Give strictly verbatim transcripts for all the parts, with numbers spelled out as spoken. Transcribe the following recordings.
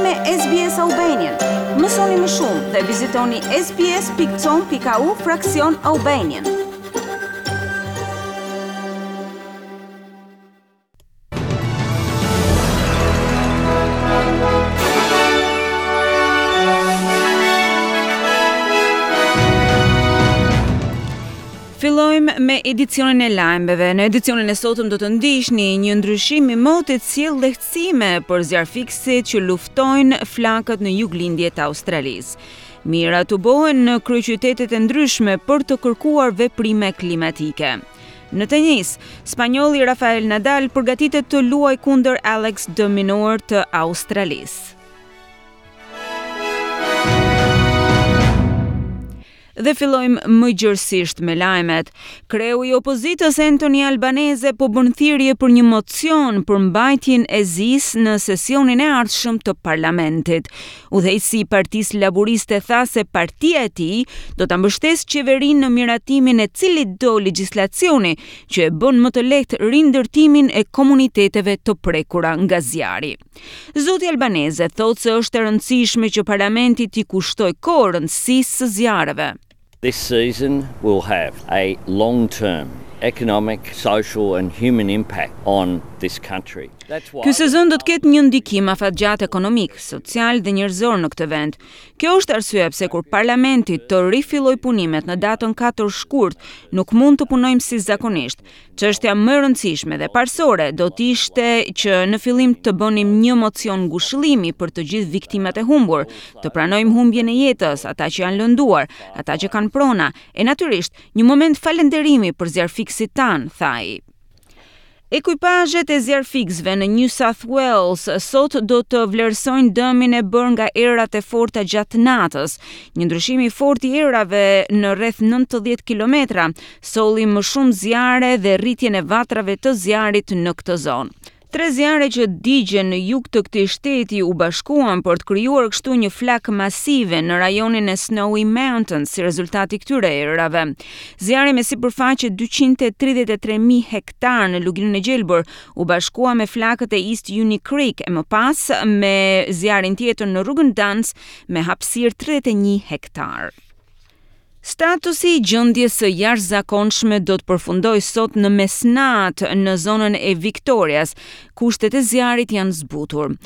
me S B S Albanian. Mësoni më shumë dhe vizitoni S B S pikë com pikë A U fraksion Albanian. Fillojmë me edicionin e lajmeve. Në edicionin e sotëm do të ndiqni: një ndryshim i motit sjell lehtësime për zjarrfikësit që luftojnë flakët në juglindje të Australisë. Mijëra tubohen në kryeqytetet e ndryshme për të kërkuar veprime klimatike. Në tenis, spanjolli Rafael Nadal përgatitet të luajë kundër Alex de Minaur të Australisë. Dhe fillojmë më gjërësisht me lajmet. Kreu i opozitës Anthony Albanese po bën thirrje për një mocion për mbajtjen e zisë në sesionin e ardhshëm të parlamentit. Udhëheqësi i Partisë Laboriste tha se partia e tij do ta mbështesë qeverinë në miratimin e cilit do legjislacioni që e bën më të lehtë rindërtimin e komuniteteve të prekura nga zjarri. Zoti Albanese thotë se është e rëndësishme që parlamenti t'i kushtojë kohë rëndësisë së zjarreve. This season will have a long-term economic, social and human impact on this country. Ky sezon do të ketë një ndikim afatgjatë ekonomik, social dhe njerëzor në këtë vend. Kjo është arsyeja pse kur parlamenti të rifillojë punimet në datën katër shkurt, nuk mund të punojmë si zakonisht. Çështja më e rëndësishme dhe parësore do të ishte që në fillim të bënim një mocion ngushëllimi për të gjithë viktimat e humbur, të pranojmë humbjen e jetës, ata që janë lënduar, ata që kanë prona, e natyrisht një moment falënderimi për zjarrfikësit tanë, tha ai. Ekuipazhet e zjarrfikësve në New South Wales sot do të vlerësojnë dëmin e bërë nga erat e forta gjatë natës. Një ndryshim i fortë i erave në rreth nëntëdhjetë kilometra solli më shumë zjarre dhe rritjen e vatrave të zjarrit në këtë zonë. Tre zjarre që digjen në jug të këtij shteti u bashkuan për të krijuar kështu një flakë masive në rajonin e Snowy Mountains si rezultat i këtyre erërave. Zjarri me sipërfaqe dyqind e tridhjetë e tre mijë hektar në Luginën e Gjelbër u bashkua me flakët e East Uni Creek e më pas me zjarrin tjetër në rrugën Duns me hapësirë tridhjetë e një hektar. Statusi i gjendjes së jashtëzakonshme do të përfundojë sot në mesnatë në zonën e Victorias. Kushtet e zjarrit janë zbutur.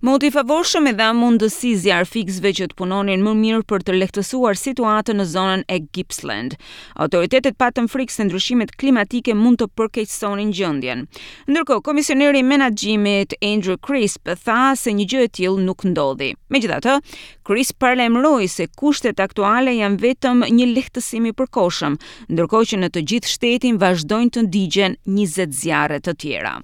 Moti i favorshëm e dha mundësi zjarrfikësve që të punonin më mirë për të lehtësuar situatën në zonën e Gippsland. Autoritetet patën frikë se ndryshimet klimatike mund të përkeqësonin gjendjen. Ndërkohë, komisioneri i menaxhimit Andrew Crisp tha se një gjë e tillë nuk ndodhi. Megjithatë, Crisp paralajmëroi se kushtet aktuale janë vetëm një lehtësim i përkohshëm, ndërkohë që në të gjithë shtetin vazhdojnë të digjen njëzet zjarre të tjera.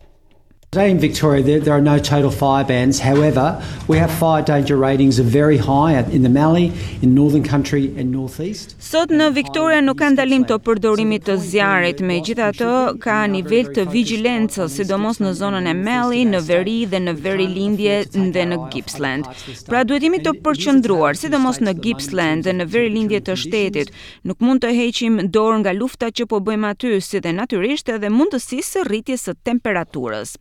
Today in Victoria, there, there are no total fire bans. However, we have fire danger ratings of very high in the Mallee, in Northern Country and Northeast. Sot në Victoria nuk ka ndalim të përdorimit të zjarrit, megjithatë ka nivel të vigjilencës, sidomos në zonën e Mallee, në veri dhe në veri-lindje dhe në Gippsland. Pra, duhet jemi të përqendruar, sidomos në Gippsland dhe në veri-lindje të shtetit. Nuk mund të heqim dorë nga lufta që po bëjmë aty, si dhe natyrisht edhe mundësisë së rritjes së temperaturës.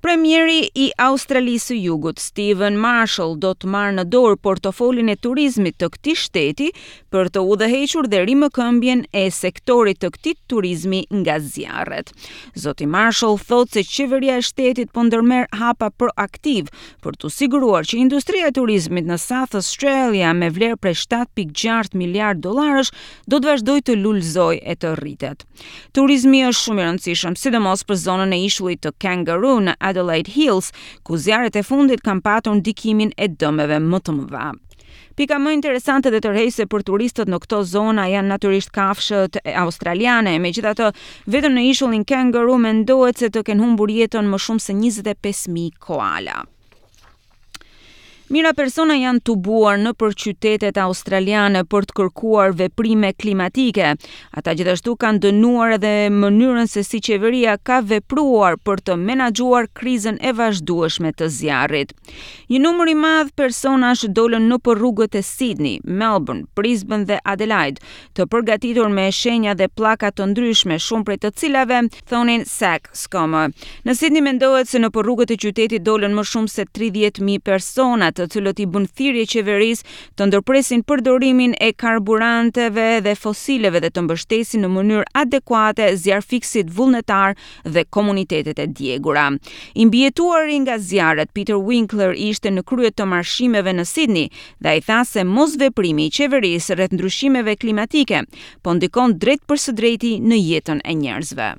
Premieri i Australisë së Jugut, Steven Marshall, do të marrë në dorë portofolin e turizmit të këtij shteti për të udhëhequr dhe rimëkëmbjen e sektorit të këtij turizmi nga zjarret. Zoti Marshall thotë se qeveria e shtetit po ndërmerr hapa proaktiv për të siguruar që industria e turizmit në South Australia me vlerë prej shtatë pikë gjashtë miliard dollarësh do të vazhdojë të lulëzojë e të rritet. Turizmi është shumë i rëndësishëm, sidomos për zonën e ishullit të Kangaroo në Adelaide Hills, ku zjarret e fundit kanë patur ndikimin e dëmeve më të mëdha. Pika më interesante dhe tërheqëse për turistët në këto zona janë natyrisht kafshët australiane. Megjithatë, vetëm në ishullin Kangaroo mendohet se të kenë humbur jetën më shumë se njëzet e pesë mijë koala. Mijëra persona janë tubuar nëpër qytetet australiane për të kërkuar veprime klimatike. Ata gjithashtu kanë dënuar edhe mënyrën se si qeveria ka vepruar për të menaxhuar krizën e vazhdueshme të zjarrit. Një numër i madh personash dolën nëpër rrugët e Sydney, Melbourne, Brisbane dhe Adelaide, të përgatitur me shenja dhe pllaka të ndryshme, shumë prej të cilave thonin "Sack Schumer". Në Sydney mendohet se nëpër rrugët e qytetit dolën më shumë se tridhjetë mijë persona, të cilët i bën thirrje qeverisë të ndërpresin përdorimin e karburanteve dhe fosileve dhe të mbështesin në mënyrë adekuate zjarrfikësit vullnetar dhe komunitetet e djegura. I mbijetuari nga zjarret, Peter Winkler, ishte në krye të marshimeve në Sydney dhe ai tha se mosveprimi i qeverisë rreth ndryshimeve klimatike po ndikon drejt për së drejti në jetën e njerëzve.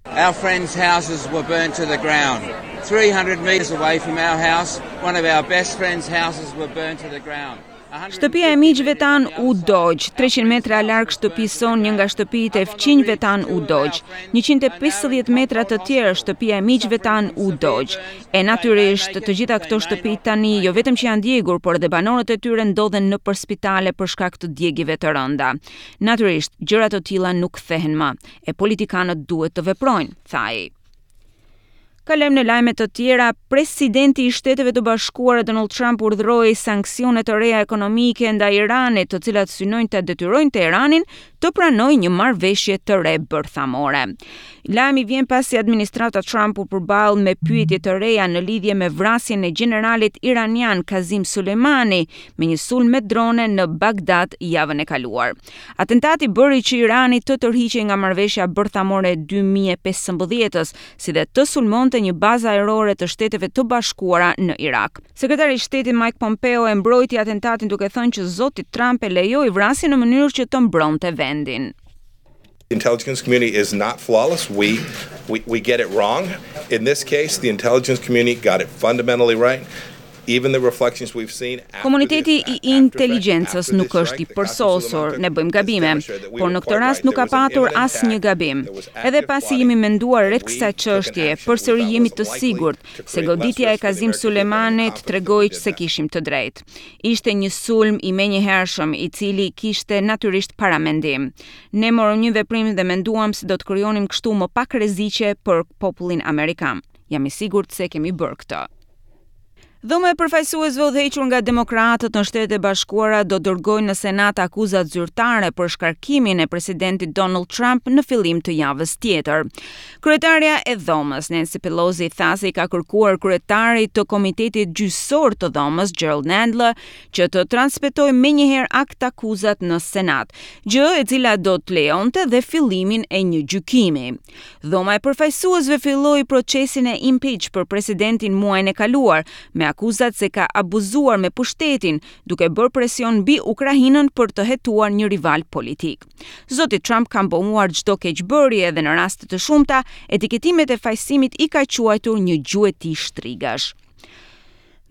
Our friends' houses were burned to the ground. three hundred meters away from our house, one of our best friends' houses were burned to the ground. Shtëpia e miqve tan u dogj, treqind metra larg shtëpisë sonë, një nga shtëpitë e fqinjve tan u dogj. njëqind e pesëdhjetë metra të tjerë, shtëpia e miqve tan u dogj. E natyrisht, të gjitha këto shtëpi tani jo vetëm që janë djegur, por edhe banorët e tyre ndodhen nëpër spitale për shkak të djegive të rënda. Natyrisht, gjëra të tilla nuk kthehen më, e politikanët duhet të veprojnë, tha ai. Kalojmë në lajme të tjera. Presidenti i Shteteve të Bashkuara Donald Trump urdhëroi sanksione të reja ekonomike ndaj Iranit, të cilat synojnë të detyrojnë Teheranin të pranojë një marrëveshje të re bërthamore. Lajmi vjen pasi administrata Trump u përball me pyetje të reja në lidhje me vrasjen e gjeneralit iranian Kazim Soleimani me një sulm me drone në Bagdad javën e kaluar. Atentati bëri që Irani të tërhiqej nga marrëveshja bërthamore e dy mijë e pesëmbëdhjetës, si dhe të sulmonte një bazë ajrore të Shteteve të Bashkuara në Irak. Sekretari i Shtetit Mike Pompeo e mbrojti atentatin, duke thënë që zoti Trump e lejoi vrasjen në mënyrë që të mbronte vendin. The intelligence community is not flawless. We, we, we get it wrong. In this case, the intelligence community got it fundamentally right. Even the reflections we've seen. Komuniteti i inteligjencës nuk është i përsosur, ne bëjmë gabime, por në këtë rast nuk ka patur asnjë gabim. Edhe pasi jemi menduar rreth kësaj çështjeje, përsëri jemi të sigurt se goditja e Kazim Soleimanit tregoi se kishim të drejtë. Ishte një sulm i menjëhershëm, i cili kishte natyrisht paramendim. Ne morëm një veprim dhe menduam se do të krijonim kështu më pak rreziqe për popullin amerikan. Jam i sigurt se kemi bërë këtë. Dhoma e përfaqësuesve, udhëhequr nga demokratët në Shtetet e Bashkuara, do dërgojnë në Senat akuzat zyrtare për shkarkimin e presidentit Donald Trump në fillim të javës tjetër. Kryetarja e dhomës, Nancy Pelosi, tha se i ka kërkuar kryetarit të Komitetit Gjyqësor të Dhomës, Gerald Nadler, që të transmetojë menjëherë akt akuzat në Senat, gjë e cila do të lejonte dhe fillimin e një gjykimi. Dhoma e përfaqësuesve filloi procesin e impeach për presidentin muajin e kaluar, me akuzat se ka abuzuar me pushtetin, duke bërë presion mbi Ukrainën për të hetuar një rival politik. Zoti Trump ka mohuar çdo keqbërje dhe në raste të shumta etiketimet e fajësimit i ka quajtur një gjueti shtrigash.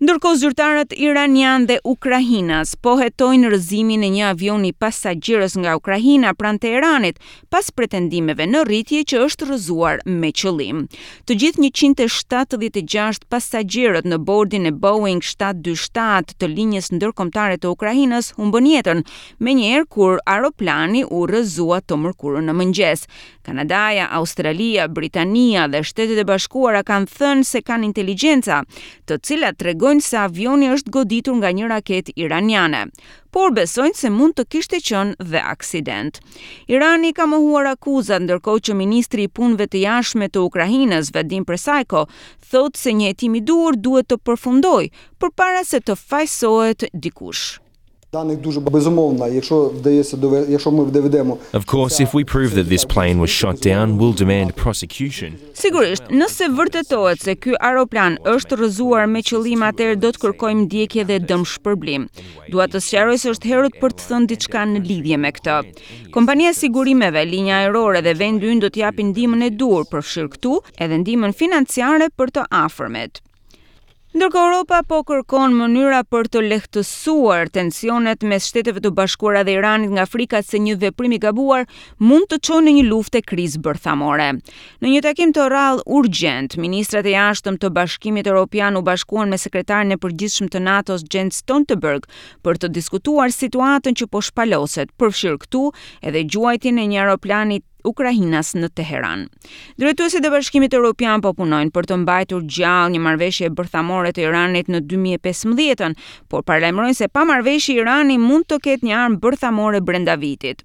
Ndërkohë, zyrtarët iranian dhe ukrainas po hetojnë rrëzimin e një avioni pasagjerës nga Ukraina pranë Teheranit, pas pretendimeve në rritje që është rrëzuar me qëllim. Të gjithë njëqind e shtatëdhjetë e gjashtë pasagjerët në bordin e Boeing shtatë dy shtatë të linjës ndërkombëtare të Ukrainës humbën jetën menjëherë kur aeroplani u rrëzua të mërkurën në mëngjes. Kanadaja, Australia, Britania dhe Shtetet e Bashkuara kanë thënë se kanë inteligjenca, të cilat tregojnë se avioni është goditur nga një raketë iraniane, por besojnë se mund të kishte qenë dhe aksident. Irani ka mohuar akuzat, ndërkohë që ministri i Punëve të Jashtme të Ukrainës, Vadim Prystaiko, thotë se një hetim i duhur duhet të përfundojë përpara se të fajësohet dikush. Даних дуже безумовно, якщо вдається якщо ми доведемо Of course, if we prove that this plane was shot down, we'll demand prosecution. Sigurisht, nëse vërtetohet se ky aeroplan është rrëzuar me qëllim, atëherë do të kërkojmë ndjekje dhe dëmshpërblim. Dua të sqaroj se është herët për të thënë diçka në lidhje me këtë. Kompania e sigurimeve, linja ajrore dhe vendi ynë do të japin ndihmën e duhur, përfshirë këtu edhe ndihmën financiare për të afërmit. Ndërkohë, Europa po kërkon mënyra për të lehtësuar tensionet mes Shteteve të Bashkuara dhe Iranit nga frika se një veprim i gabuar mund të çojë në një luftë e krizë bërthamore. Në një takim të rrallë urgjent, ministrat e jashtëm të Bashkimit Evropian u bashkuan me sekretarin e përgjithshëm të NATO-s, Jens Stoltenberg, për të diskutuar situatën që po shpaloset, përfshirë këtu edhe gjuajtjen e një aeroplani ukrainas në Teheran. Drejtuesit e Bashkimit Evropian po punojnë për të mbajtur gjallë një marrëveshje bërthamore të Iranit në dy mijë e pesëmbëdhjetën, por paralajmërojnë se pa marrëveshje Irani mund të ketë një armë bërthamore brenda vitit.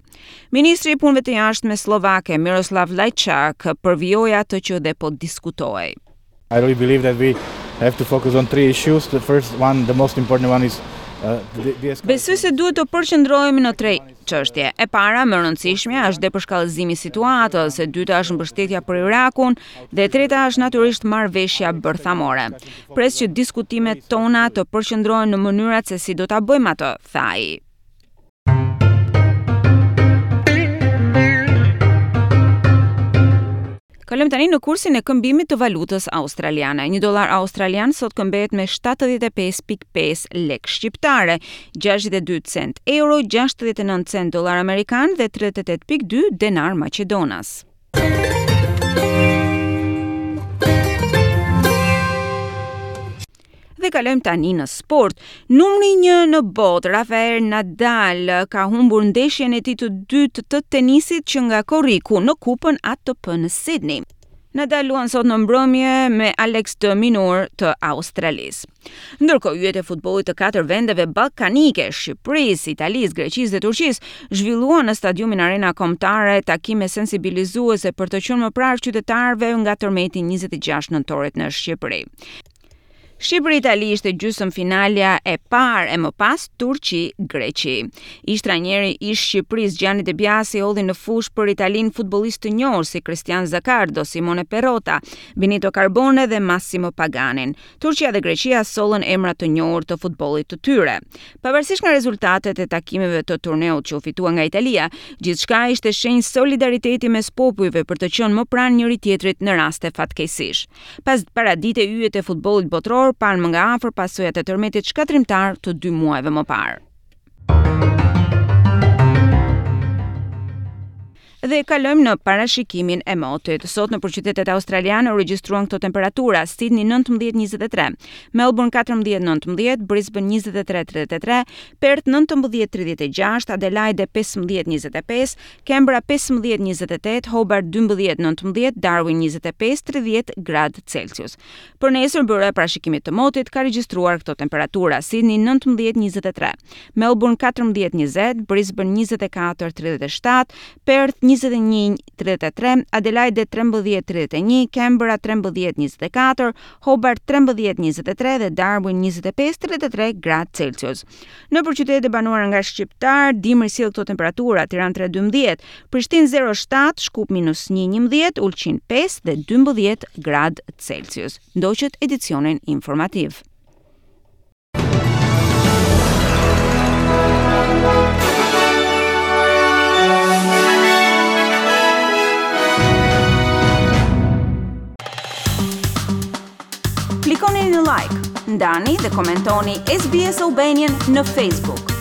Ministri i Punëve të Jashtme sllovake, Miroslav Lajçak, përvijoi atë që dhe po diskutohej. I really believe that we have to focus on three issues. The first one, the most important one, is uh, Besoj se duhet të përqendrohemi në tre çështje. E para, më e rëndësishmja, është depërshkallëzimi i situatës, e dyta është mbështetja për Irakun dhe e treta është natyrisht marrëveshja bërthamore. Pres që diskutimet tona të përqendrohen në mënyrat se si do ta bëjmë atë, tha ai. Kalojmë tani në kursin e këmbimit të valutës australiane. Një dollar australian sot këmbehet me shtatëdhjetë e pesë pikë pesë lek shqiptare, gjashtëdhjetë e dy cent euro, gjashtëdhjetë e nëntë cent dollar amerikan dhe tridhjetë e tetë pikë dy denar maqedonas. Dhe kalojmë tani në sport. Numri një në botë, Rafael Nadal, ka humbur ndeshjen e tij të dytë të tenisit që nga korriku në kupën A T P në Sydney. Nadal luan sot në mbrëmje me Alex de Minaur të Australisë. Ndërkohë, yjet e futbollit të katër vendeve ballkanike, Shqipërisë, Italisë, Greqisë dhe Turqisë, zhvilluan në stadiumin Arena Kombëtare takime sensibilizuese për të qenë më pranë qytetarëve nga tërmeti njëzet e gjashtë nëntorit në Shqipëri. Shqipëri-Itali ishte gjysmë finalja e parë, e më pas Turqi-Greqi. Ish trajneri i Shqipërisë, Gianni De Biasi, hodhi në fushë për Italinë futbollistë të njohur si Cristian Zaccardo, Simone Perrotta, Benito Carbone dhe Massimo Paganin. Turqia dhe Greqia sollën emra të njohur të futbollit të tyre. Pavarësisht nga rezultatet e takimeve të turneut që u fitua nga Italia, gjithçka ishte shenjë solidariteti mes popujve për të qenë më pranë njëri tjetrit në raste fatkeqësish. Pas paradite, yjet e futbollit botëror panë më nga afër pasojat e tërmetit shkatërrimtar të dy muajve më parë. Dhe kalojmë në parashikimin e motit. Sot në qytetet australiane u regjistruan këto temperatura: Sydney nëntëmbëdhjetë njëzet e tre, Melbourne katërmbëdhjetë nëntëmbëdhjetë, Brisbane njëzet e tre tridhjetë e tre, Perth nëntëmbëdhjetë tridhjetë e gjashtë, Adelaide pesëmbëdhjetë njëzet e pesë, Canberra pesëmbëdhjetë njëzet e tetë, Hobart dymbëdhjetë nëntëmbëdhjetë, Darwin njëzet e pesë tridhjetë gradë Celsius. Për nesër, byroja e parashikimit të motit ka regjistruar këto temperatura: Sydney nëntëmbëdhjetë njëzet e tre, Melbourne katërmbëdhjetë njëzet, Brisbane njëzet e katër tridhjetë e shtatë, Perth njëzet e një tridhjetë e tre, Adelaide trembëdhjetë tridhjetë e një, Canberra trembëdhjetë njëzet e katër, Hobart trembëdhjetë njëzet e tre dhe Darwin njëzet e pesë tridhjetë e tre gradë Celsius. Në qytetet e banuara nga shqiptar, dimri sjell këto temperatura: Tiranë tre dymbëdhjetë, Prishtinë zero shtatë, Shkup minus një njëmbëdhjetë, Ulqin pesë dhe dymbëdhjetë gradë Celsius. Ndoqët edicionin informativ. Klikoni në like, ndani dhe komentoni S B S Albanian në Facebook.